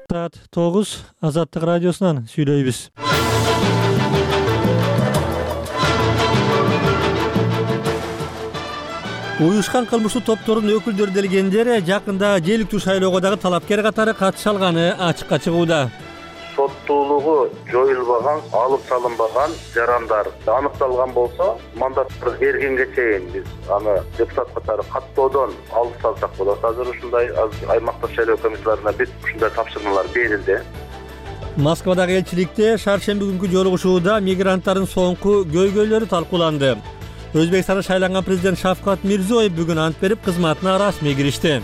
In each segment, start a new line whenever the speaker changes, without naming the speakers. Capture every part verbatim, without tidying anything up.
Саат тогуз Азаттык радиосунан сүйлөйбүз. Уюшкан кылмыштуу топтордун өкүлдөрү делгендер жакында жергиликтүү шайлоого дагы талапкер катары катыша алганы ачыкка чыгууда.
Соттуулугу жоюлбаган, алып салынбаган жарандар аныкталган болсо, мандаттарды бергенге чейин биз аны депутат катары каттоодон алып салсак болот. Азыр ушундай аймактык шайлоо комиссияларына бүт ушундай тапшырмалар берилди.
Москвадагы элчиликте шаршемби күнкү жолугушууда мигранттардын соңку көйгөйлөрү талкууланды. Өзбекстанда шайланган президент Шавкат Мирзиёев бүгүн ант берип, кызматына расмий киришти.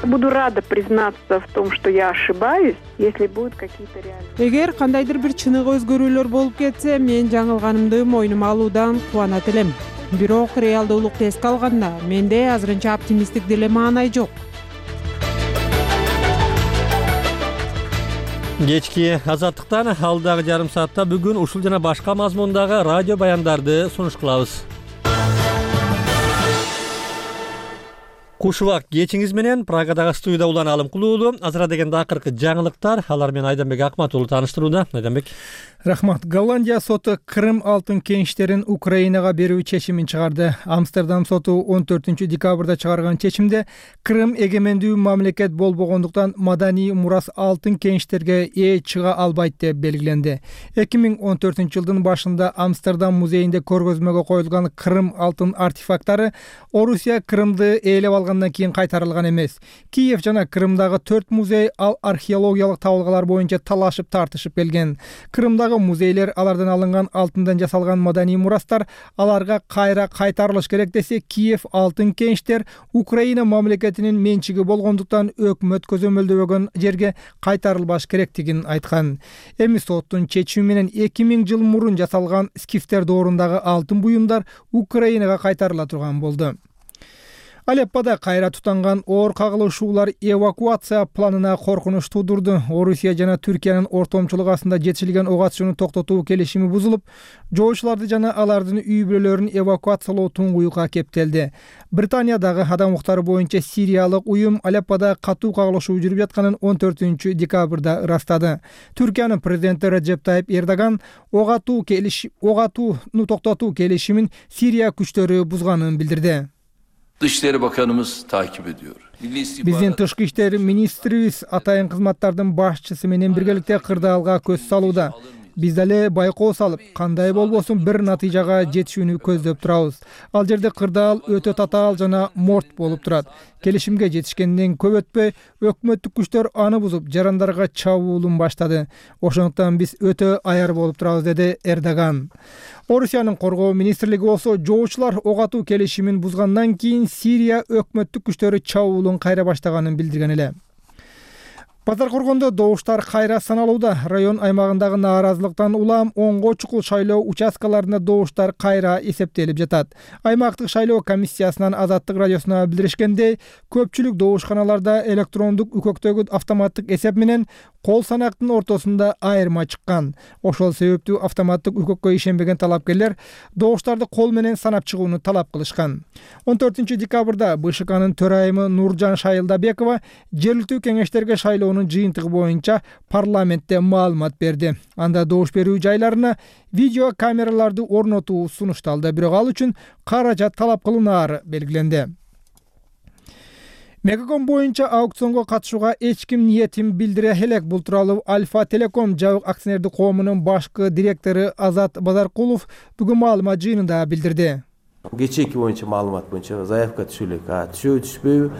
Буду рада признаться в том, что я ошибаюсь, если будут какие-то реальные.
Эгер кандайдыр бир чыныгы өзгөрүүлөр болуп кетсе, мен жаңылганымды мойнума алуудан кубанат элем. Бирок реалдуулукту эске алганда, менде азырынча оптимисттик деле маанай жок.
Кечки Азаттыктан алдагы жарым саатта бүгүн ушул жана башка мазмундагы радио баяндарды сунуш кылабыз. Кушубак кечиңиз менен Прагадагы студияда улан Алым Кулуулу. Азыра дегенде акыркы жаңылыктар, алар менен Айданбек Акматулу тааныштырууда. Айданбек.
Рахмат. Голландия соту Крым алтын кеништерин Украинага берүү чечимин чыгарды. Амстердам соту он төртүнчү декабрда чыгарган чечимде Крым эгемендүү мамлекет болбогондуктан маданий мурас алтын кеништерге ээ чыга албайт деп белгиленди. эки миң он төртүнчү жылдын башында Амстердам музейинде көргөзмөгө коюлган Крым алтын артефакттары Орусия Крымды ээлеп алгандан кийин кайтарылган эмес. Киев жана Крымдагы төрт музей ал археологиялык табылгалар боюнча талашып тартышып келген. Крымдагы музейлер алардан алынган алтындан жасалган маданий мурастар аларга кайра кайтарылыш керек десе, Киев алтын кеништер Украина мамлекетинин менчиги болгондуктан өкмөт көзөмөлдөбөгөн жерге кайтарылбаш керектигин айткан. Эми соттун чечими менен эки миң жыл мурун жасалган скифтер доорундагы алтын буюмдар Украинага кайтарыла турган болду. Алеппада кайра тутанган оор кагылышуулар эвакуация планына коркунуч туудурду. Орусия жана Түркиянын ортомчулук астында жетишилген ок атышууну токтотуу келишими бузулуп, жоочуларды жана алардын үй бүлөлөрүн эвакуациялоо туңгуюкка кептелди. Британиядагы адам укуктары боюнча Сириялык уюм Алеппада катуу кагылышуу жүрүп жатканын он төртүнчү декабрда ырастады. Түркиянын президенти Реджеп Тайип Эрдоган ок атуу келиш ок атууну токтотуу келишимин Сирия күчтөрү бузганын билдирди.
Dışişleri Bakanımız takip ediyor.
Биздин тышкы иштер министрибиз атайын кызматтардын башчысы менен биргеликте кырдаалга көз салууда. Биз дале байкоо салып, кандай болбосун бир натыйжага жетишүүнү көздөп турабыз. Ал жерде кырдаал өтө татаал жана морт болуп турат. Келишимге жетишкенден көп өтпөй, өкмөттүк күчтөр аны бузуп, жарандарга чабуулун баштады. Ошондуктан биз өтө аяр болуп турабыз, деди Эрдоган. Орусиянын коргоо министрлиги болсо, жоочулар ок атуу келишимин бузгандан кийин Сирия өкмөттүк күчтөрү чабуулун кайра баштаганын билдирген эле. Базар коргондо добуштар кайра саналууда. Район аймагындагы нааразылыктан улам онго чукул шайлоо участкаларында добуштар кайра эсептелип жатат. Аймактык шайлоо комиссиясынан Азаттык радиосуна билдиришкендей, көпчүлүк добушканаларда электрондук үкөктөгү автоматтык эсеп менен кол санактын ортосунда айырма чыккан. Ошол себептүү автоматтык үкөккө ишенбеген талапкерлер добуштарды кол менен санап чыгууну талап кылышкан. он төртүнчү декабрда БШКнын төрайымы Нуржан Шайылдабекова жергиликтүү кеңештерге шайлоо жыйынтыгы боюнча парламентте маалымат берди. Анда добуш берүү жайларына видео камераларды орнотуу сунушталды, бирок ал үчүн каражат талап кылынаары белгиленди. Мегаком боюнча аукционго катышууга эч ким ниетин билдире элек. Бул тууралуу Альфа Телеком жабык акционердик коомунун башкы директору Азат Базаркулов бүгүн маалымат жыйынында билдирди.
Кечеки боюнча маалымат боюнча заявка түшө элек. А түшөбү түшпөйбү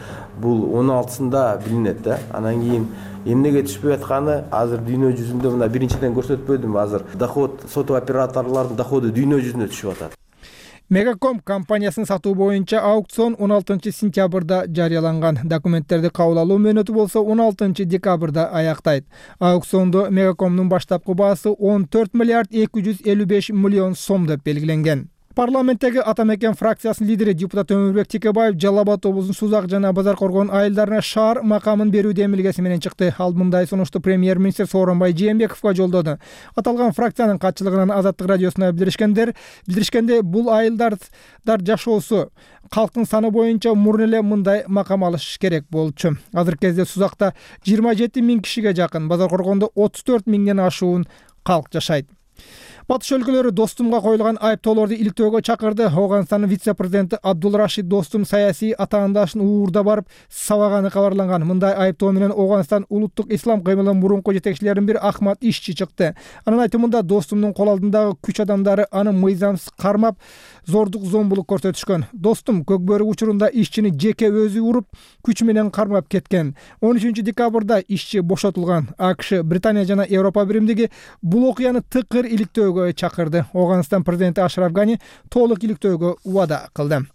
бул он алтысында билинет да. Анан кийин эмнеге түшпөй атканы азыр дүйнө жүзүндө мына биринчиден көрсөтпөдүм. Азыр доход соту операторлордун доходу дүйнө жүзүндө түшүп атат.
Мегаком компаниясын сатуу боюнча аукцион он алтынчы сентябрда жарыяланган. Документтерди кабыл алуу мөөнөтү болсо он алтынчы декабрда аяктайт. Аукциондо Мегакомдун баштапкы баасы он төрт миллиард эки жүз элүү беш миллион сом деп белгиленген. Парламенттеги Ата мекен фракциясынын лидери депутат Өмүрбек Текебаев Жалал Абад облусунун Сузак жана Базар Коргон айылдарына шаар макамын берүүдө эмилгеси менен чыкты. Ал мындай сунушту премьер-министр Сооронбай Жээнбековго жолдоду. Аталган фракциянын катчылыгынан Азаттык радиосуна билдиришкендер билдиришкенде бул айылдарда жашоосу калктын саны боюнча мурун эле мындай макам алыш керек болчу. Азыркы кезде Сузакта жыйырма жети миң кишиге жакын, Базар Коргондо отуз төрт миңден ашуун калк жашайт. Батыш өлкөлөрү Достумга коюлган айыптоолорду иликтөөгө чакырды. Ооганстандын вице-президенти Абдулрашид Достум саясий атаандашын уурда барып сабаганы кабарланган. Мындай айыптоо менен Ооганстан улуттук ислам кыймылынын мурунку жетекчилеринин бири Ахмад Ишчи чыкты. Анын айтымында Достумдун кол алдындагы күч адамдары аны мыйзамсыз кармап, зордук зомбулук көрсөтүшкөн. Достум Көкбөрү учурунда Ишчини жеке өзү уруп, күч менен кармап кеткен. он үчүнчү декабрда Ишчи бошотулган. АКШ, Британия жана Европа биримдиги бул окуяны тыкыр иликтөөгө чакырды. Ооганстан президенти Ашраф Гани толук иликтөөгө убада кылды.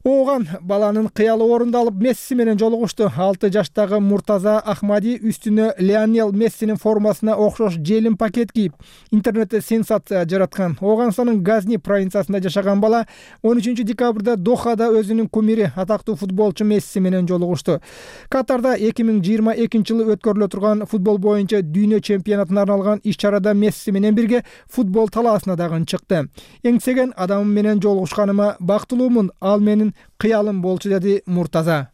Ооган баланын кыялы орундалып Месси менен жолугушту. алты жаштагы Муртаза Ахмади үстүнө Лионел Мессинин формасына окшош желим пакет кийип, интернетте сенсация жараткан. Ооганстандын Газни провинциясында жашаган бала он үчүнчү декабрда Дохада өзүнүн кумири атактуу футболчу Месси менен жолугушту. Катарда эки миң жыйырма экинчи жылы өткөрүлө турган футбол боюнча дүйнө чемпионатына арналган иш-чарада Месси менен бирге футбол талаасына дагы чыкты. Эңсеген адамым менен жолугушканыма бактылуумун, ал менин кыялым болчу, деди Муртаза.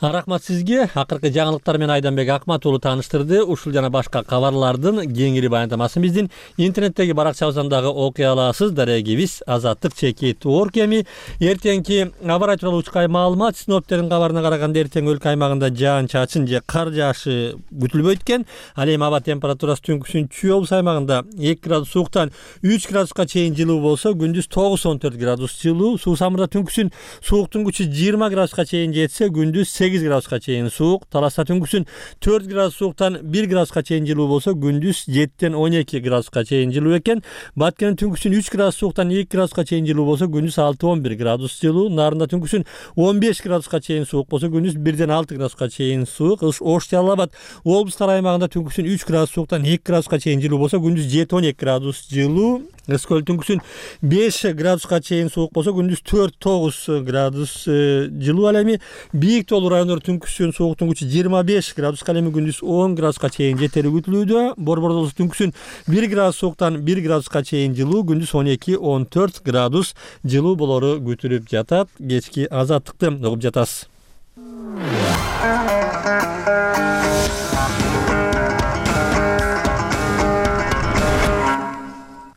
Рахмат сизге. Акыркы жаңылыктар менен Айданбек Акмат уулу тааныштырды. Ушул жана башка кабарлардын кеңири баяндамасын биздин интернеттеги баракчабыздан дагы окуй аласыз. Дарегибиз азаттык чекит точка орг эми эртеңки аба ырайы тууралуу учкай маалымат. Синоптиктердин кабарына караганда эртең өлкө аймагында жаан чачын же кар жаашы күтүлбөйт экен. Ал эми аба температурасы түнкүсүн Чүй облус аймагында эки градус сууктан үч градуска чейин жылуу болсо, күндүз тогуз он төрт градус жылуу. Суу самырда түнкүсүн сууктун күчү жыйырма градуска чейин жетсе, күндүз сегиз градуска чейин суук. Таласта түнкүсүн төрт градус сууктан бир градуска чейин жылуу болсо, күндүз жетиден он эки градуска чейин жылуу экен. Баткенде түнкүсүн үч градус сууктан эки градуска чейин жылуу болсо, күндүз алты он бир градус жылуу. Нарында түнкүсүн он беш градуска чейин суук болсо, күндүз бирден алты градуска чейин суук. Ош Жалал Абад облустар аймагында түнкүсүн үч градус сууктан эки градуска чейин жылуу болсо, күндүз жети он эки градус жылуу. Ыскөл түнкүсүн беш градуска чейин суук болсо, күндүз төрт тогуз градус жылуу. Ал эми бийик тоолуу райондор түнкүсүн сууктун күчү жыйырма беш градуска, ал эми күндүз он градуска чейин жетери күтүлүүдө. Борбордо болсо түнкүсүн бир градус сууктан бир градуска чейин жылуу, күндүз он эки он төрт градус жылуу болору күтүлүп жатат. Кечки азаттыкты угуп жатасыз.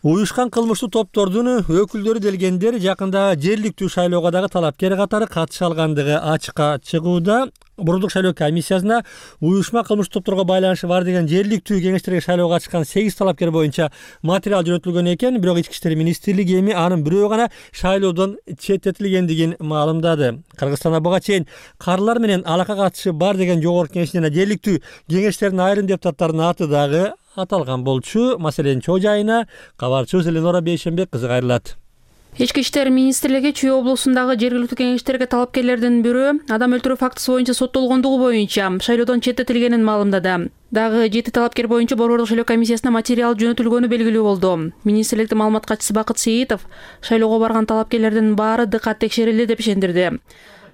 Уюшкан кылмыштуу топтордун өкүлдөрү делгендер жакында жергиликтүү шайлоого дагы талапкер катары катыша алгандыгы ачыкка чыгууда. Бурундук шайлоо комиссиясына уюшма кылмыштуу топторго байланышы бар деген жергиликтүү кеңештерге шайлоого чыккан сегиз талапкер боюнча материал жөнөтүлгөн экен. Бирок Ички иштер министрлиги эми анын бирөө гана шайлоодон четтетилгендигин маалымдады. Кыргызстанда буга чейин карылар менен алака катышы бар деген жогорку кеңеш жана жергиликтүү кеңештердин айрым депутаттарынын аты дагы аталган болчу. Маселенин чоо жайына кабарчыбыз Эленора Бейшенбек кызы кайрылат.
Ички иштер министрлиги Чүй облусундагы жергиликтүү кеңештерге талапкерлердин бирөө адам өлтүрүү фактысы боюнча соттолгондугу боюнча шайлоодон четтетилгенин маалымдады. Дагы жети талапкер боюнча борбордук шайлоо комиссиясына материал жөнөтүлгөнү белгилүү болду. Министрликтин маалымат катчысы Бакыт Сейитов шайлоого барган талапкерлердин баары дыкат текшерилди деп ишендирди.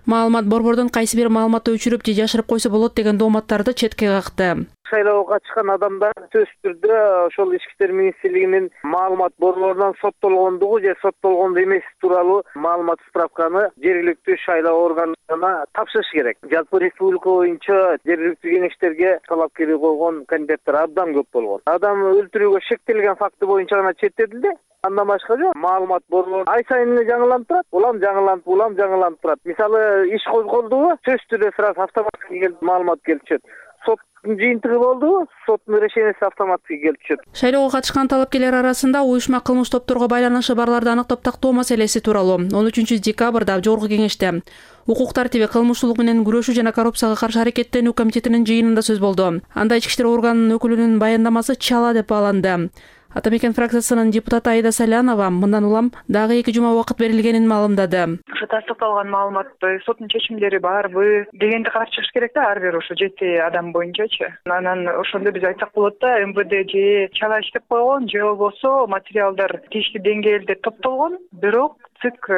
Маалымат борбордон кайсы бир маалыматты өчүрүп же жашырып койсо болот деген дооматтарды четке какты.
Шайлоого чыккан адамдар сөзсүз түрдө ошол Ички иштер министрлигинин маалымат борборунан соттолгондугу же соттолгондо эмес тууралуу маалымат справканы жергиликтүү шайлоо органдарына тапшырыш керек. Жалпы республика боюнча жергиликтүү кеңештерге талапкерлик койгон кандидаттар абдан көп болгон. Адам өлтүрүүгө шектелген факты боюнча гана четтетилди. Андан башка жок. Маалымат борбору ай сайын эле жаңыланып турат. Улам жаңыланып, улам жаңыланып турат. Мисалы, иш козголдубу, сөзсүз түрдө сразу автоматтык келип маалымат келип түшөт. Соттун жыйынтыгы болдубу, соттун решенияси автоматтык келип түшөт.
Шайлоого катышкан талапкерлер арасында уюшма кылмыш топторго байланышы барларды аныктап тактоо маселеси тууралуу он үчүнчү декабрда жогорку кеңеште укук тартиби, кылмыштуулук менен күрөшүү жана коррупцияга каршы аракеттенүү комитетинин жыйынында сөз болду. Анда ички иштер органынын өкүлүнүн баяндамасы чала деп бааланды. Ата мекен фракциясынын депутаты Аида Салянова мындан улам дагы эки жума убакыт берилгенин маалымдады.
Ошо тастыкталган маалыматты соттун чечимдери барбы дегенди карап чыгыш керек да, ар бир ошо жети адам боюнчачы. Анан ошондо биз айтсак болот да, эм вэ дэ же чала иштеп койгон, же болбосо материалдар тийиштүү деңгээлде топтолгон, бирок ЦИК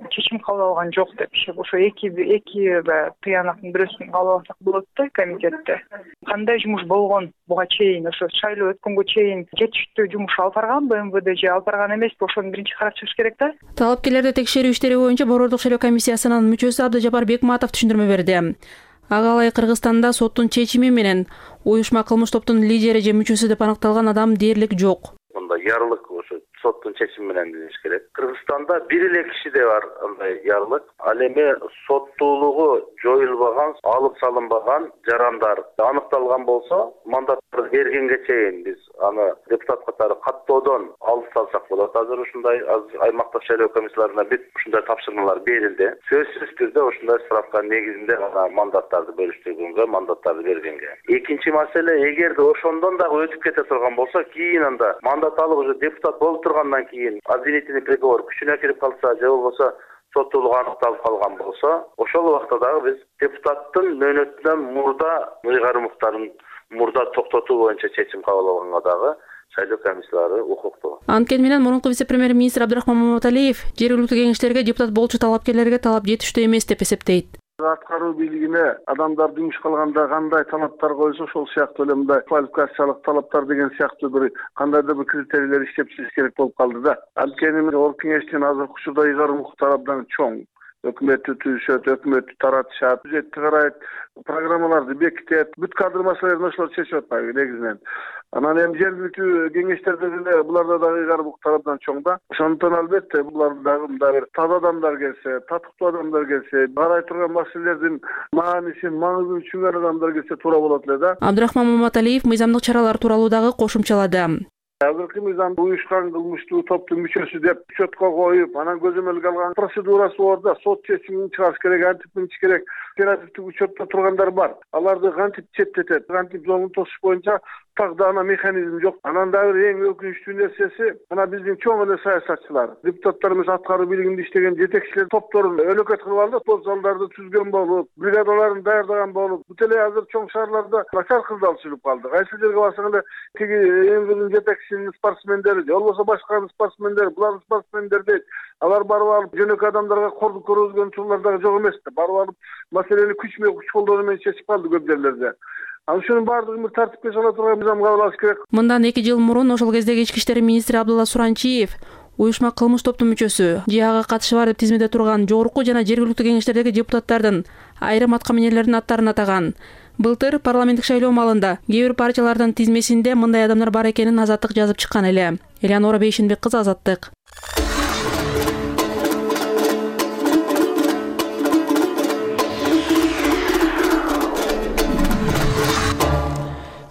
чечим кабыл алган жок деп. Ошо эки эки тыянактын бирөөсүн кабыл алсак болот да комитетте. Кандай жумуш болгон буга чейин, ошо шайлоо өткөнгө чейин жетиштүү жумуш алып барганбы эм вэ дэ же алып барган эмеспи, ошону биринчи карап чыгыш керек да.
Талапкерлерди текшерүү иштери боюнча Борбордук шайлоо комиссиясынын мүчөсү Абдыжапар Бекматов түшүндүрмө берди. Ага ылайык Кыргызстанда соттун чечими менен уюшма кылмыш топтун лидери же мүчөсү деп аныкталган адам дээрлик жок.
Мында ярлык ошо соттун чечими менен деш керек. Кыргызстанда бир эле кишиде бар андай ярлык. Ал эми соттуулугу жоюлбаган, алып салынбаган жарандар аныкталган болсо, мандаттарды бергенге чейин биз аны депутат катары каттоодон алып салсак болот. Азыр ушундай аймактык шайлоо комиссияларына бүт ушундай тапшырмалар берилди. Сөзсүз түрдө ушундай справка негизинде гана мандаттарды бөлүштүргөнгө, мандаттарды бергенге. Экинчи маселе, эгерде ошондон дагы өтүп кете турган болсо, кийин анда мандат алып уже депутат болуп тургандан кийин обвинительный приговор күчүнө кирип калса, же болбосо соттуулугу аныкталып калган болсо, ошол убакта дагы биз депутаттын мөөнөтүнөн мурда ыйгарымдарын мурда токтотуу боюнча чечим кабыл алганга дагы шайлоо комиссиялары укуктуу.
Анткени менен мурунку вице-премьер-министр Абдрахман Маматалиев жергиликтүү кеңештерге депутат болчу талапкерлерге талап жетиштүү эмес деп эсептейт.
Аткаруу бийлигине адамдар жумуш кылганда кандай талаптар койсо, ошол сыяктуу эле мындай квалификациялык талаптар деген сыяктуу бир кандайдыр бир критерийлер иштеп чыгыш керек болуп калды да. Анткени Ор кеңештин азыркы учурда ыйгарым укуктары абдан чоң. Өкмөттү түзүшөт, өкмөттү таратышат, бюджетти карайт, программаларды бекитет, бүт кадр маселелерин ошолор чечип атпайбы негизинен. Анан эми жергиликтүү кеңештерде деле буларда дагы ыйгарым укуктар абдан чоң да. Ошондон албетте булар дагы мындай бир таза адамдар келсе, татыктуу адамдар келсе, карай турган маселелердин маанисин, маңызын түшүнгөн адамдар келсе туура болот эле да.
Абдрахман Маматалиев мыйзамдык чаралар тууралуу дагы кошумчалады.
Азыркы мыйзамды уюшкан кылмыштуу топтун мүчөсү деп учетко коюп, анан көзөмөлгө алган процедурасы бар да, сот чечимин чыгарыш керек, антип мынчы керек. Оперативдик учетто тургандар бар. Аларды кантип четтетет, кантип жолун тосуш боюнча так да ана механизм жок. Анан дагы эң өкүнүчтүү нерсеси, мына биздин чоң эле саясатчылар, депутаттарыбыз аткаруу бийлигинде иштеген жетекчилер топторун өлөкөт кылып алды, топ залдарды түзгөн болуп, бригадаларын даярдаган болуп, бүт эле азыр чоң шаарларда начар кылдал сүрүп калды. Кайсы жерге барсаң эле тиги эң жетекчинин спортсмендери, же болбосо башка спортсмендер, булар спортсмендер дейт. Алар барып алып жөнөкөй адамдарга кордук көргөзгөн учурлар дагы жок эмес да. Барып алып маселени күч менен күч колдоо менен чечип калды көп жерлерде. Ал ушунун баардыгын бир тартипке сала турган мыйзам кабыл алыш керек.
Мындан эки жыл мурун ошол кездеги ички иштер министри Абдулла Суранчиев уюшма кылмыш топтун мүчөсү, же ага катышы бар деп тизмеде турган жогорку жана жергиликтүү кеңештердеги депутаттардын айрым аткаминерлердин аттарын атаган. Былтыр парламенттик шайлоо маалында кээ бир партиялардын тизмесинде мындай адамдар бар экенин Азаттык жазып чыккан эле. Элеонора Бейшенбек кызы, Азаттык.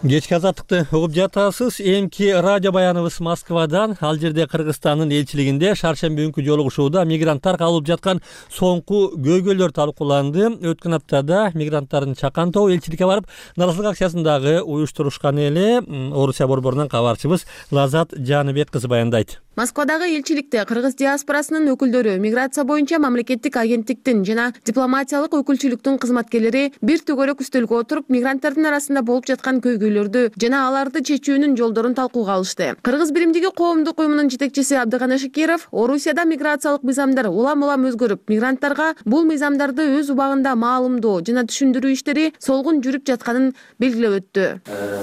Кечки Азаттыкты угуп жатасыз. Эмки радио баяныбыз Москвадан. Ал жерде Кыргызстандын элчилигинде шаршемби күнкү жолугушууда мигранттар кабылып жаткан соңку көйгөйлөр талкууланды. Өткөн аптада мигранттардын чакан тобу элчиликке барып, наразылык акциясындагы уюштурушкан эле. Орусия борборунан кабарчыбыз Лазат Жаныбек кызы баяндайт.
Москвадагы элчиликте кыргыз диаспорасынын өкүлдөрү, миграция боюнча мамлекеттик агенттиктин жана дипломатиялык өкүлчүлүктүн кызматкерлери бир төгөрөк үстөлгө отуруп, мигранттардын арасында болуп жаткан көйгөйлөрдү жана аларды чечүүнүн жолдорун талкууга алышты. Кыргыз биримдиги коомдук уюмунун жетекчиси Абдыгана Шакиров Орусияда миграциялык мыйзамдар улам-улам өзгөрүп, мигранттарга бул мыйзамдарды өз убагында маалымдоо жана түшүндүрүү иштери солгун жүрүп жатканын белгилеп өттү.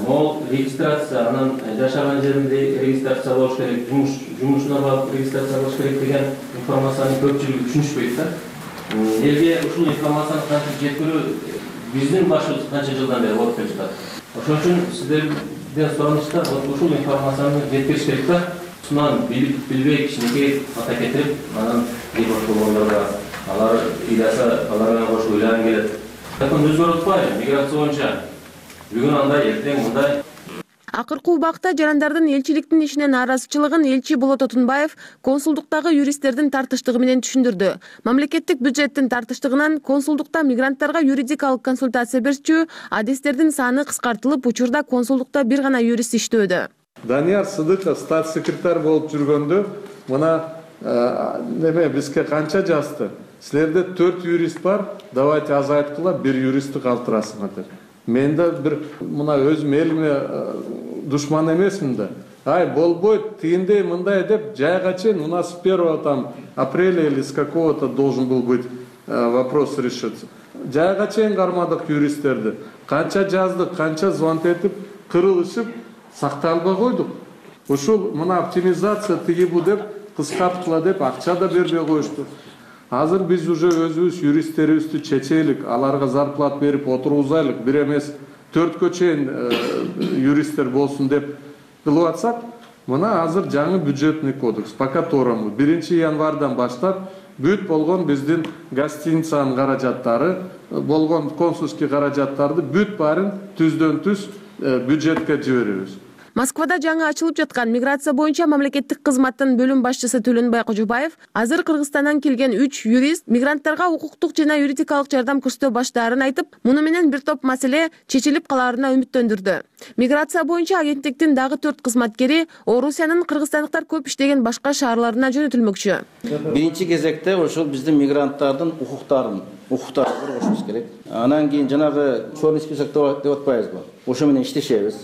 Могул регистрация, анан жашаган жеринде регистрация болуш керек, жумуш жумушуна барып регистрация кылыш керек деген информацияны көпчүлүгү түшүнүшпөйт да. Элге ушул информацияны кантип жеткирүү биздин башыбыз канча жылдан бери болуп келатат. Ошон үчүн сиздерден суранышта ушул информацияны жеткириш керек да. Сунан билип билбей кичинекей ата кетирип, анан кийин болгондорго алар ыйласа, алар менен кошуп ыйланган келет. Закон өзгөрүп атпайбы миграция боюнча? Бүгүн андай, эртең мындай.
Акыркы убакта жарандардын элчиликтин ишине нааразычылыгын элчи Болот Отунбаев консулдуктагы юристтердин тартыштыгы менен түшүндүрдү. Мамлекеттик бюджеттин тартыштыгынан консулдукта мигранттарга юридикалык консультация берчү адистердин саны кыскартылып, учурда консулдукта бир гана юрист иштөөдө.
Данияр Сыдыков статс секретарь болуп жүргөндө мына неме бизге канча жазды? Силерде төрт юрист бар, давайте азайткыла, бир юристти калтырасыңар деп. Мен да бир мына өзүм элиме душман эмесмин да. Ай, болбойт, тигиндей мындай деп жайга чейин у нас с первого там апреля или с какого-то должен был быть вопрос решиться. Жайга чейин кармадык юристтерди. Канча жаздык, канча звонок этип, кырылышып, сакталбай койдук. Ушул мына оптимизация тиги бу деп кыскарткыла деп акча да бербей коюшту. Азыр биз уже өзүбүз юристтерибизди чечелик, аларга зарплат берип отургузайлык, бир эмес төрткө чейин юристтер болсун деп кылып атсак, мына азыр жаңы бюджетный кодекс, по которому биринчи январдан баштап бүт болгон биздин гостиницанын каражаттары, болгон консульский каражаттарды бүт баарын түздөн түз бюджетке жиберебиз.
Москвада жаңы ачылып жаткан миграция боюнча мамлекеттик кызматтын бөлүм башчысы Төлөнбай Кожобаев азыр Кыргызстандан келген үч юрист мигранттарга укуктук жана юридикалык жардам көрсөтө баштаарын айтып, муну менен бир топ маселе чечилип калаарына үмүттөндүрдү. Миграция боюнча агенттиктин дагы төрт кызматкери Орусиянын кыргызстандыктар көп иштеген башка шаарларына жөнөтүлмөкчү.
Биринчи кезекте ошол биздин мигранттардын укуктарын, укуктарын коргошубуз керек. Анан кийин жанагы черный список деп атпайбызбы? Ошо менен иштешебиз.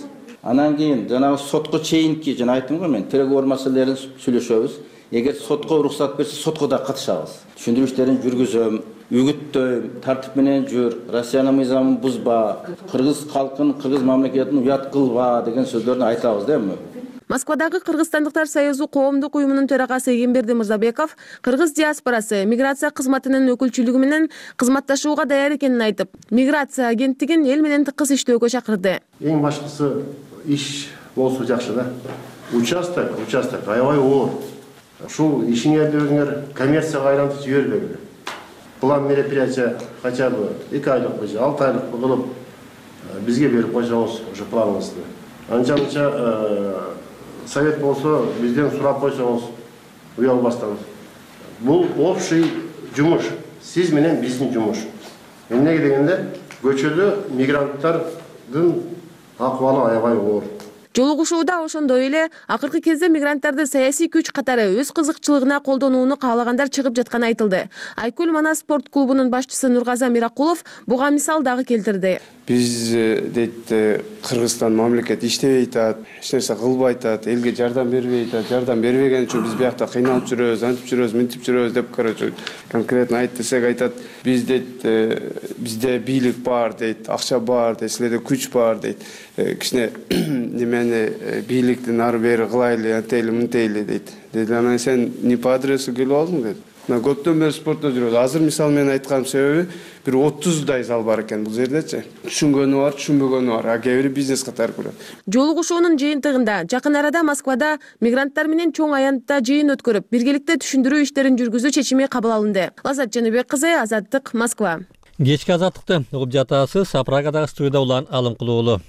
Анан кийин жанагы сотко чейинки, жана айттым го мен, переговор маселелерин сүйлөшөбүз. Эгер сотко уруксат берсе, сотко да катышабыз. Түшүндүрүү иштерин жүргүзөм, үгүттөйм, тартип менен жүр, Россиянын мыйзамын бузба, кыргыз калкын, кыргыз мамлекетин уят кылба деген сөздөрдү айтабыз да эми.
Москвадагы Кыргызстандыктар союзу коомдук уюмунун төрагасы Эгемберди Мырзабеков кыргыз диаспорасы миграция кызматынын өкүлчүлүгү менен кызматташууга даяр экенин айтып, миграция агенттигин эл менен тыкыз иштөөгө чакырды.
Эң башкысы иш болсо жакшы да. Участок, участок аябай оор. Ушул ишиңерди өзүңөр коммерцияга айлантып жибербеңиздер. План мероприятия хотя бы эки айлык же алты айлык кылып бизге берип койсоңуз ошо планыңызды. Анча-мынча совет болсо бизден сурап койсоңуз уялбастан. Бул общий жумуш. Сиз менен биздин жумуш. Эмнеге дегенде көчөдө мигранттардын акыбалы аябай оор.
Жолугушууда ошондой эле акыркы кезде мигранттарды саясий күч катары өз кызыкчылыгына колдонууну каалагандар чыгып жатканы айтылды. Айкөл Манас спорт клубунун башчысы Нургаза Миракулов буга мисал дагы келтирди.
Биз дейт Кыргызстан мамлекет иштебей атат, эч нерсе кылбай атат, элге жардам бербей атат, жардам бербеген үчүн биз биякта кыйналып жүрөбүз, антип жүрөбүз, мынтип жүрөбүз деп короче конкретно айт десек айтат. Биз дейт бизде бийлик бар дейт, акча бар дейт, силерде күч бар дейт. Кичине немени бийликтин ары бери кылайлы, антейли, мынтейли дейт. Деди, анан сен не по адресу келип алдың дейт. Мына көптөн бери спортто жүрөбүз. Азыр мисал менен айткан себеби бир отуздай зал бар экен бул жердечи. Түшүнгөнү бар, түшүнбөгөнү бар. А кээ бири бизнес катары көрөт.
Жолугушуунун жыйынтыгында жакын арада Москвада мигранттар менен чоң аянтта жыйын өткөрүп, биргеликте түшүндүрүү иштерин жүргүзүү чечими кабыл алынды. Лаззат Жаныбек кызы, Азаттык, Москва.
Кечки азаттыкты угуп жатасыз. Прагадагы студияда улан Алымкулуу уулу.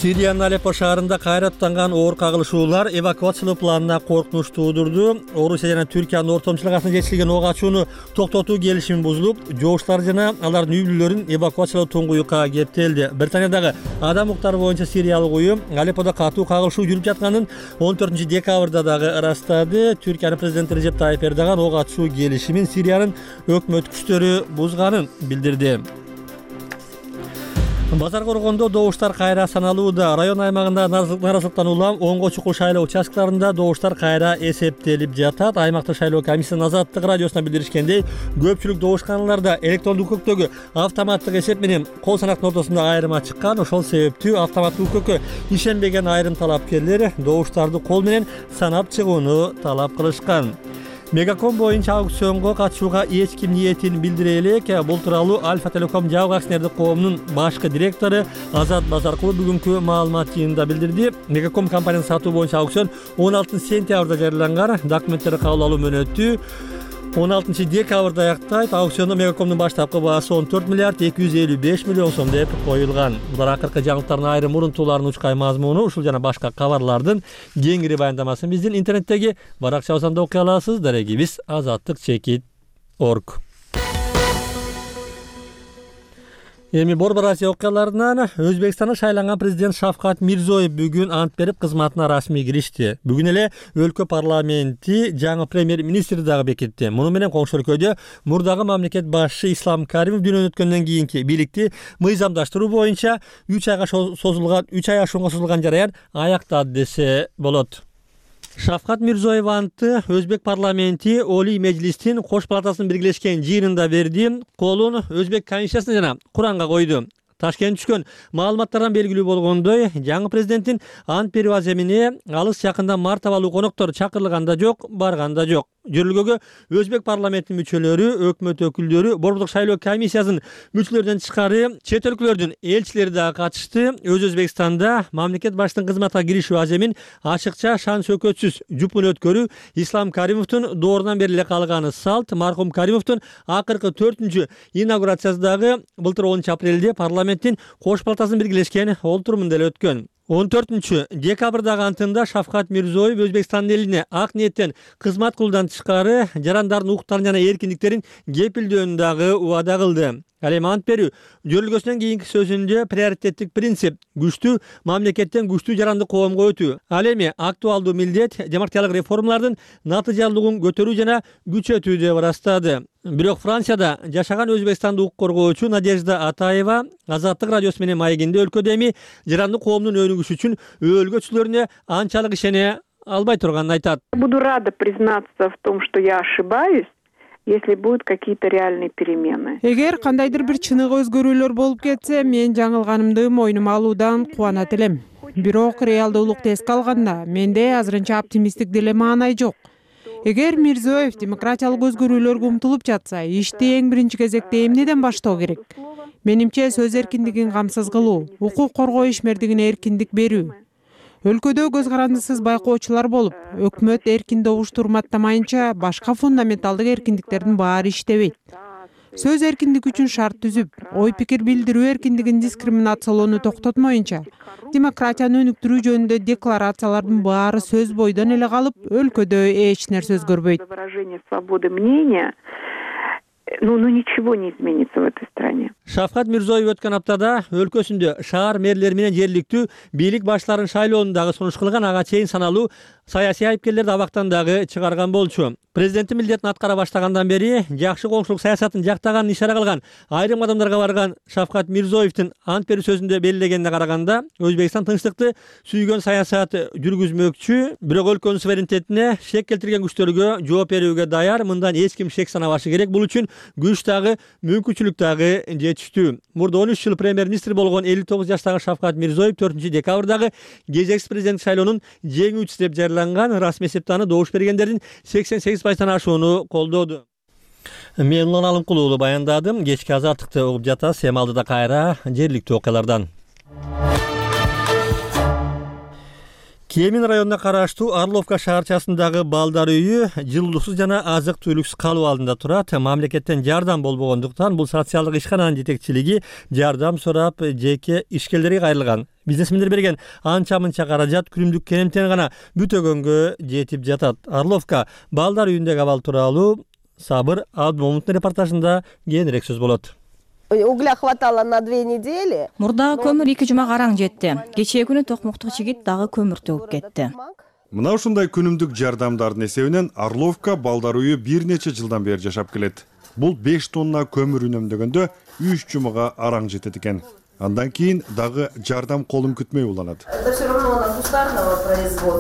Сириянын Алеппо шаарында кайраттанган оор кагылышуулар эвакуациялоо планына коркунуч туудурду. Орусия жана Түркиянын ортомчулук арасында жетишилген ок ачууну токтотуу келишими бузулуп, жооштар жана алардын үй бүлөлөрүн эвакуациялоо туңгуюкка кептелди. Британиядагы адам укуктары боюнча сириялык уюм Алепподо катуу кагылышуу жүрүп жатканын он төртүнчү декабрда дагы ырастады. Түркиянын президенти Режеп Тайип Эрдоган ок ачуу келишимин Сириянын өкмөт күчтөрү бузганын билдирди. Базар коргондо добуштар кайра саналууда. Район аймагында наразылыктан улам онго чукул шайлоо участкаларында добуштар кайра эсептелип жатат. Аймактык шайлоо комиссиянын Азаттык радиосуна билдиришкендей, көпчүлүк добушканаларда электрондук үкөктөгү автоматтык эсеп менен кол санактын ортосунда айырма чыккан. Ошол себептүү автоматтык үкөккө ишенбеген айрым талапкерлер добуштарды кол менен санап чыгууну талап кылышкан. Мегаком боюнча аукционго катышууга эч ким ниетин билдире элек. Бул тууралуу Альфа Телеком жабык акционердик коомунун башкы директору Азат Базаркулов бүгүнкү маалымат жыйынында билдирди. Мегаком компаниясын сатуу боюнча аукцион он алтынчы сентябрда жарыяланган. Документтерди кабыл алуу мөөнөтү он алтынчы декабрда аяктайт. Аукциондо Мегакомдун баштапкы баасы он төрт миллиард эки жүз элүү беш миллион сом деп коюлган. Булар акыркы жаңылыктардын айрым урунтууларын учкай мазмуну, ушул жана башка кабарлардын кеңири баяндамасын биздин интернеттеги баракчабыздан окуй аласыз. Дарегибиз азаттык чекит точка орг. Эми Борбор Азия окуяларынан Өзбекстанда шайланган президент Шавкат Мирзиёев бүгүн ант берип кызматына расмий киришти. Бүгүн эле өлкө парламенти жаңы премьер-министр дагы бекитти. Муну менен коңшу өлкөдө мурдагы мамлекет башчы Ислам Каримов дүйнөдөн өткөндөн кийинки бийликти мыйзамдаштыруу боюнча үч айга созулган үч ай ашуунга созулган жараян аяктады десе болот. Шавкат Мирзиёев антты Өзбек парламенти Олий Мejlистин кош палатасынын биргелешкен жыйынында берди. Колун Өзбек Конституциясына жана Куранга койду. Ташкент түшкөн маалыматтардан белгилүү болгондой, жаңы президенттин ант берүү аземине алыс жакында мартабалуу коноктор чакырылган да жок, барган да жок. Жөрөлгөгө Өзбек парламентинин мүчөлөрү, өкмөт өкүлдөрү, Борбордук шайлоо комиссиясынын мүчөлөрүнөн тышкары чет өлкөлөрдүн элчилери дагы катышты. Өз Өзбекстанда мамлекет башчысынын кызматка киришүү аземин ачыкча шан сөкөтсүз жупун өткөрүү Ислам Каримовдун доорунан бери эле калганы салт. Мархум Каримовдун акыркы төртүнчү инаугурациясы дагы былтыр онунчу апрелде парламенттин кош палатасынын биргелешкен олтурумунда эле өткөн. он төртүнчү декабрдагы антында Шавкат Мирзиёев Өзбекстандын элине ак ниеттен кызмат кылуудан тышкары жарандардын укуктарын жана эркиндиктерин кепилдөөнү дагы убада кылды. Ал эми ант берүү жөрөлгөсүнөн кийинки сөзүндө приоритеттик принцип күчтүү мамлекеттен күчтүү жарандык коомго өтүү. Ал эми актуалдуу милдет демократиялык реформалардын натыйжалуулугун көтөрүү жана күчөтүү деп ырастады. Бирок Францияда жашаган Өзбекстандын укук коргоочу Надежда Атаева Азаттык радиосу менен маегинде өлкөдө эми жарандык коомдун өнүгүшү үчүн өлгөчүлөрүнө анчалык ишене албай турганын айтат.
Буду рада признаться в том, что я ошибаюсь, если будут какие-то реальные перемены.
Эгер кандайдыр бир чыныгы өзгөрүүлөр болуп кетсе, мен жаңылганымды мойнума алуудан кубанат элем. Бирок реалдуулукту эске алганда, менде азырынча оптимисттик деле маанай жок. Эгер Мирзиёев демократиялык өзгөрүүлөргө умтулуп жатса, ишти эң биринчи кезекте эмнеден баштоо керек? Менимче сөз эркиндигин камсыз кылуу, укук коргоо ишмердигине эркиндик берүү. Өлкөдө көз карандысыз байкоочулар болуп, өкмөт эркин добуш урматтамайынча башка фундаменталдык эркиндиктердин баары иштебейт. Сөз эркиндиги үчүн шарт түзүп, ой пикир билдирүү эркиндигин дискриминациялоону токтотмоюнча, демократияны өнүктүрүү жөнүндө декларациялардын баары сөз бойдон эле калып, өлкөдө эч нерсе өзгөрбөйт.
Выражение свободы мнения, ну, ну ничего не изменится в этой стране.
Шавкат Мирзиёев өткөн аптада өлкөсүндө шаар мэрлери менен жергиликтүү бийлик баштарынын шайлоонун дагы сунуш кылган, ага чейин саналуу саясий айыпкерлерди абактан дагы чыгарган болчу. Президенттин милдетин аткара баштагандан бери жакшы коңшулук саясатын жактаганын ишара кылган айрым адамдарга барган Шавкат Мирзиёевдин ант берүү сөзүндө белгилегенине караганда, Өзбекстан тынчтыкты сүйгөн саясат жүргүзмөкчү, бирок өлкөнүн суверенитетине шек келтирген күчтөргө жооп берүүгө даяр. Мындан эч ким шек санабашы керек. Бул үчүн күч дагы, мүмкүнчүлүк дагы жетиштүү. Мурда он үч жыл премьер-министр болгон элүү тогуз жаштагы Шавкат Мирзиёев төртүнчү декабрдагы кезексиз президенттик шайлоонун жеңүүчүсү деп жарыяланган. Расмий эсепте аны добуш бергендердин сексен сегиз пайыздан ашууну колдоду. Мен Улан Алымкул уулу баяндадым. Кечки азаттыкты угуп жатасыз. Эми алдыда кайра жергиликтүү окуялардан. Кемин районуна караштуу Орловка шаарчасындагы балдар үйү жылуусуз жана азык түлүксүз калуу алдында турат. Мамлекеттен жардам болбогондуктан бул социалдык ишкананын жетекчилиги жардам сурап жеке ишкерлерге кайрылган. Бизнесмендер берген анча-мынча каражат күнүмдүк керемтен гана бүтөгөнгө жетип жатат. Орловка балдар үйүндөгү абал тууралуу Сабыр Абдмомуттун репортажында кеңирээк сөз болот.
Угля хватало на две недели.
Мурдагы көмүр эки жумага араң жетти. Кечээ күнү токмоктук жигит дагы көмүр төгүп кетти.
Мына ушундай күнүмдүк жардамдардын эсебинен Орловка балдар үйү бир нече жылдан бери жашап келет. Бул беш тонна көмүр үнөмдөгөндө үч жумага араң жетет экен. Андан кийин дагы жардам колун күтмөй уланат.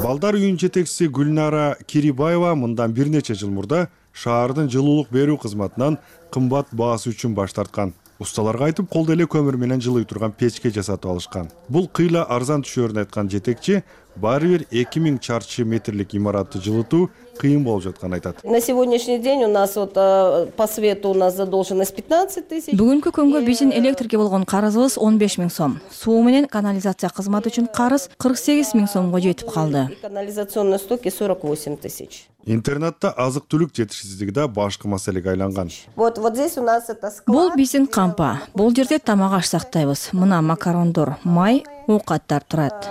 Балдар үйүнүн жетекчиси Гүлнара Кирибаева мындан бир нече жыл мурда шаардын жылуулук берүү кызматынан кымбат баасы үчүн баш тарткан. Усталарга айтып, колдо эле көмүр менен жылый турган печке жасатып алышкан. Бул кыйла арзан түшөөрүн айткан жетекчи баары бир эки миң чарчы метрлик имаратты жылытуу кыйын болуп жатканын айтат.
На сегодняшний день у нас вот по свету у нас задолженность пятнадцать тысяч.
Бүгүнкү күнгө биздин электрге болгон карызыбыз он беш миң сом. Суу менен канализация кызматы үчүн карыз кырк сегиз миң сомго жетип калды.
Канализационные стоки сорок восемь тысяч.
Интернетте азык-түлүк жетишсиздиги да башкы маселеге айланган.
Вот вот здесь у нас это склад.
Бул биздин кампа. Бул жерде тамак аш сактайбыз. Мына макарондор, май, оокаттар турат.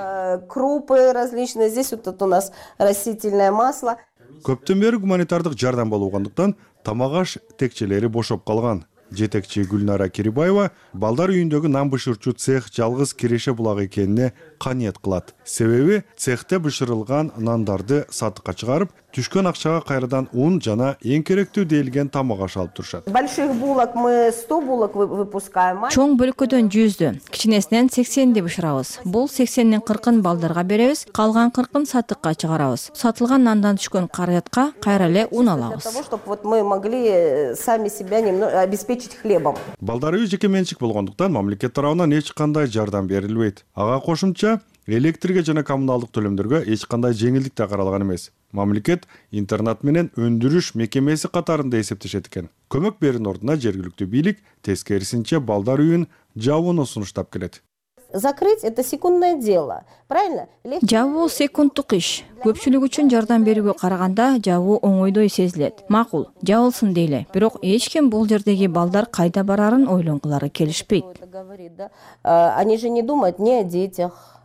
Крупы различные. Здесь вот у нас растительное масло.
Көптөн бери гуманитардык жардам болбогондуктан тамак аш текчелери бошоп калган. жетекчи Гүлнара Кирибаева балдар үйүндөгү нан бышырчу цех жалгыз киреше булагы экенине каниет кылат. Себеби цехте бышырылган нандарды сатыкка чыгарып, түшкөн акчага кайрадан ун жана эң керектүү делген тамак аш алып турушат.
Больших булок мы сто булок выпускаем.
Чоң бөлүккөдөн жүздү, кичинесинен сексенди бышырабыз. Бул сексендин кыркын балдарга беребиз, калган кыркын сатыкка чыгарабыз. Сатылган нандан түшкөн каражатка кайра эле ун алабыз.
Для того, чтобы вот мы могли сами себя немного обеспечить хлебом.
Балдар үй жеке менчик болгондуктан мамлекет тарабынан эч кандай жардам берилбейт. Ага кошумча электрге жана коммуналдык төлөмдөргө эч кандай жеңилдик да каралган эмес. Мамлекет интернат менен өндүрүш мекемеси катарында эсептешет экен. Көмөк берүүнүн ордуна жергиликтүү бийлик тескерисинче балдар үйүн жабууну сунуштап келет.
Закрыть это секундное дело, правильно?
Жабуу секундтук иш. Көпчүлүк үчүн жардам берүүгө караганда жабуу оңойдой сезилет. Макул, жабылсын дейле. Бирок эч ким бул жердеги балдар кайда барарын ойлонгулары келишпейт.
Они же не думают ни о детях,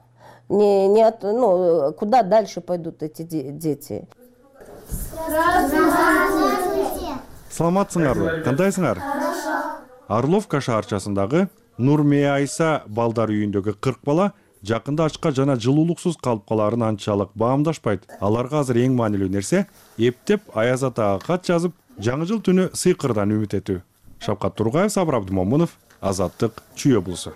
не не от, ну, куда дальше пойдут эти дети.
Саламатсыңарбы? Кандайсыңар? Орловка шаарчасындагы Нурмия Айса балдар үйүндөгү кырк бала жакында ачка жана жылуулуксуз калып калаарын анчалык баамдашпайт. Аларга азыр эң маанилүү нерсе эптеп Аяз атага кат жазып, жаңы жыл түнү сыйкырдан үмүт этүү. Шапкат Тургаев, Сабыр Абдымомунов, Азаттык, Чүй облусу.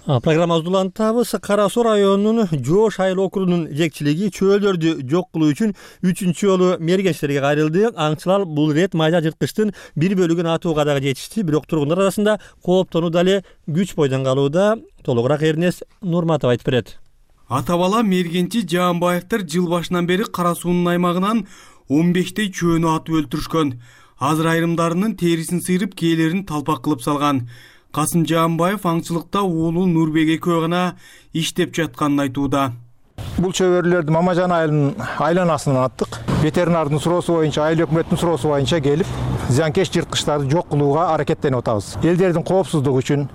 Программабызды улантабыз. Кара Суу районунун Жоош айыл округунун жетекчилиги чөөлөрдү жок кылуу үчүн үчүнчү жолу мергенчилерге кайрылды. Аңчылар бул рет майда жырткычтын бир бөлүгүн атууга дагы жетишти. Бирок тургундар арасында кооптонуу дале күч бойдон калууда. Толугураак Эрнес Нурматов айтып берет.
Ата бала мергенчи Жаанбаевдер жыл башынан бери Кара Суунун аймагынан он бештей чөөнү атып өлтүрүшкөн. Азыр айрымдарынын терисин сыйрып, кээлерин талпак кылып салган. Касым Жаанбаев аңчылыкта уулу Нурбек экөө гана иштеп жатканын айтууда.
Бул чөбөрлөрдү Мамажан айылынын айланасынан аттык. Ветеринардын суроосу боюнча, айыл өкмөттүн суроосу боюнча келип, зыянкеч жырткычтарды жок кылууга аракеттенип атабыз. Элдердин коопсуздугу үчүн,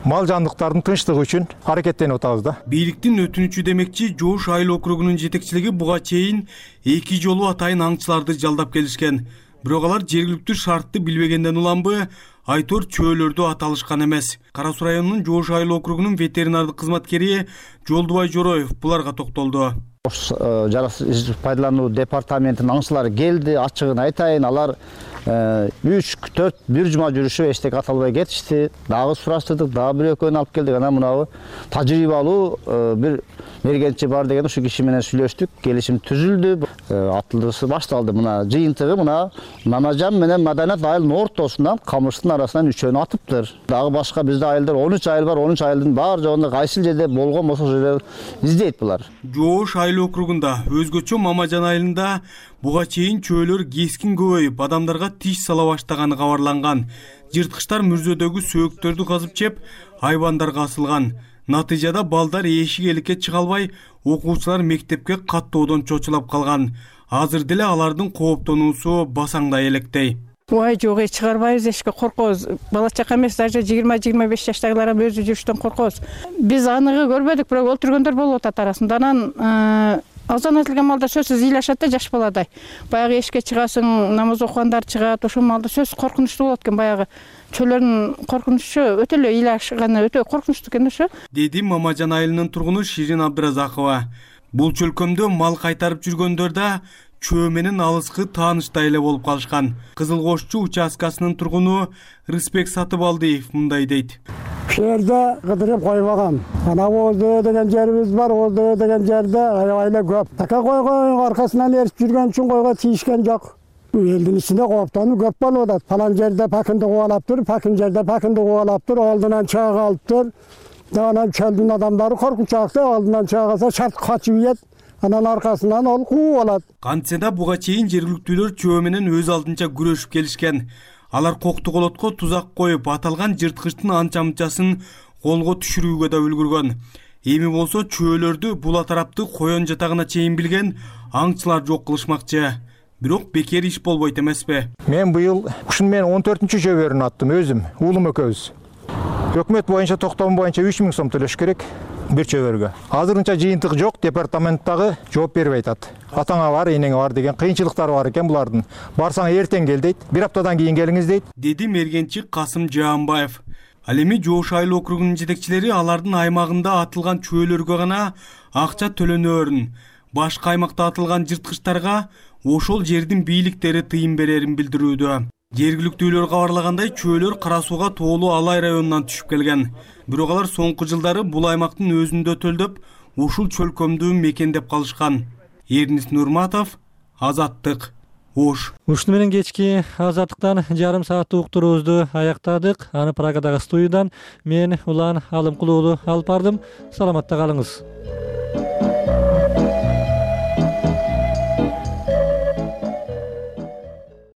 мал жандыктардын тынчтыгы үчүн аракеттенип атабыз да.
Бийликтин өтүнүчү демекчи Жоош айыл округунун жетекчилиги буга чейин эки жолу атайын аңчыларды жалдап келишкен. Бирок алар жергиликтүү шартты билбегенден уланбы, айтор чөөлөрдү аталышкан эмес. Кара Суу районунун Жоош айыл округунун ветеринардык кызматкери Жолдубай Жороев буларга токтолду.
Жарас пайдалануу департаментинин аңчылары келди, ачыгын айтайын, алар үч төрт бир жума жүрүшүп эчтек аталбай кетишти. Дагы сураштырдык, дагы бир экөөнү алып келдик. Анан мынабы тажрыйбалуу бир мергенчи бар деген ушу киши менен сүйлөштүк, келишим түзүлдү. Атылышы башталды. Мына жыйынтыгы мына Мамажан менен Маданат айылынын ортосунан камыштын арасынан үчөөнү атыптыр. Дагы башка бизде айылдар он үч айыл бар, он үч айылдын бар жогунда кайсыл жерде болгон болсо жерде издейт булар.
Жоош айыл округунда өзгөчө Мамажан айылында буга чейин чөөлөр кескин көбөйүп, адамдарга тиш сала баштаганы кабарланган. Жырткычтар мүрзөдөгү сөөктөрдү казып жеп, айбандарга асылган. Натыйжада балдар эшик эликке чыга албай, окуучулар мектепке каттоодон чочулап калган. Азыр деле алардын кооптонуусу басаңдай электей.
Ой, жок, чыгарбайбыз, эшикке коркобуз. Бала чака эмес, даже жыйырма жыйырма беш жаштагылар өзү жүрүштөн коркобуз. Биз аныгы көрбөдүк, бирок өлтүргөндөр болуп атат арасында. Анан азан айтылган малда сөзсүз ыйлашат да жаш баладай. Баягы эшикке чыгасың, намаз окугандар чыгат, ошол малда сөз коркунучтуу болот экен. Баягы чөөлөрдүн коркунучу өтө эле ыйлашканы өтө коркунучтуу экен ошо.
Деди Мамажан айылынын тургуну Ширин Абдыразакова. Бул чөлкөмдө мал кайтарып жүргөндөр да чөө менен алыскы тааныштай эле болуп калышкан. Кызыл Кошчу участкасынын тургуну Рыспек Сатыбалдиев мындай дейт.
Ушул жерде кыдырып койбагам. Ана Оздөө деген жерибиз бар, Оздөө деген жерде аябай эле көп. Така койгон аркасынан эрип жүргөн үчүн койго тийишкен жок. Элдин ичинде кооптонуу көп болуп атат. Палан жерде пакынды кубалап тур, пакын жерде пакынды кубалап тур, алдынан чыга калыптыр. Анан чөлдүн адамдары коркунчаакта алдынан чыга калса шарт качып ийет. Анан аркасынан ол кууп алат.
Кантсе да буга чейин жергиликтүүлөр чөө менен өз алдынча күрөшүп келишкен. Алар Коктуголотко тузак коюп, аталган жырткычтын анча-мынчасын колго түшүрүүгө да үлгүргөн. Эми болсо чөөлөрдү була тарапты коен жатагына чейин билген аңчылар жок кылышмакчы. Бирок бекер иш болбойт эмеспи?
Мен быйыл ушун менен он төртүнчү жөбөрүн аттым өзүм, уулум экөөбүз. Өкмөт боюнча токтом боюнча үч миң сом төлөш керек. бир чөбөргө. Азырынча жыйынтык жок, департаменттагы жооп бербей атат. Атаңа бар, энеңе бар деген кыйынчылыктары бар экен булардын. Барсаң эртең кел дейт, бир аптадан кийин келиңиз дейт.
Деди мергенчи Касым Жаанбаев. Ал эми Жош айыл округунун жетекчилери алардын аймагында атылган чөөлөргө гана акча төлөнөөрүн, башка аймакта атылган жырткычтарга ошол жердин бийликтери тыйын берерин билдирүүдө. Жергиликтүүлөр кабарлагандай, чөөлөр Кара Сууга тоолуу Алай районунан түшүп келген. Бирок алар соңку жылдары бул аймактын өзүндө төлдөп, ушул чөлкөмдү мекендеп калышкан. Эрнис Нурматов, Азаттык, Ош.
Ушуну менен кечки Азаттыктан жарым сааттык уктуруубузду аяктадык. Аны Прагадагы студиядан мен Улан Алымкулуулу алып бардым. Саламатта калыңыз.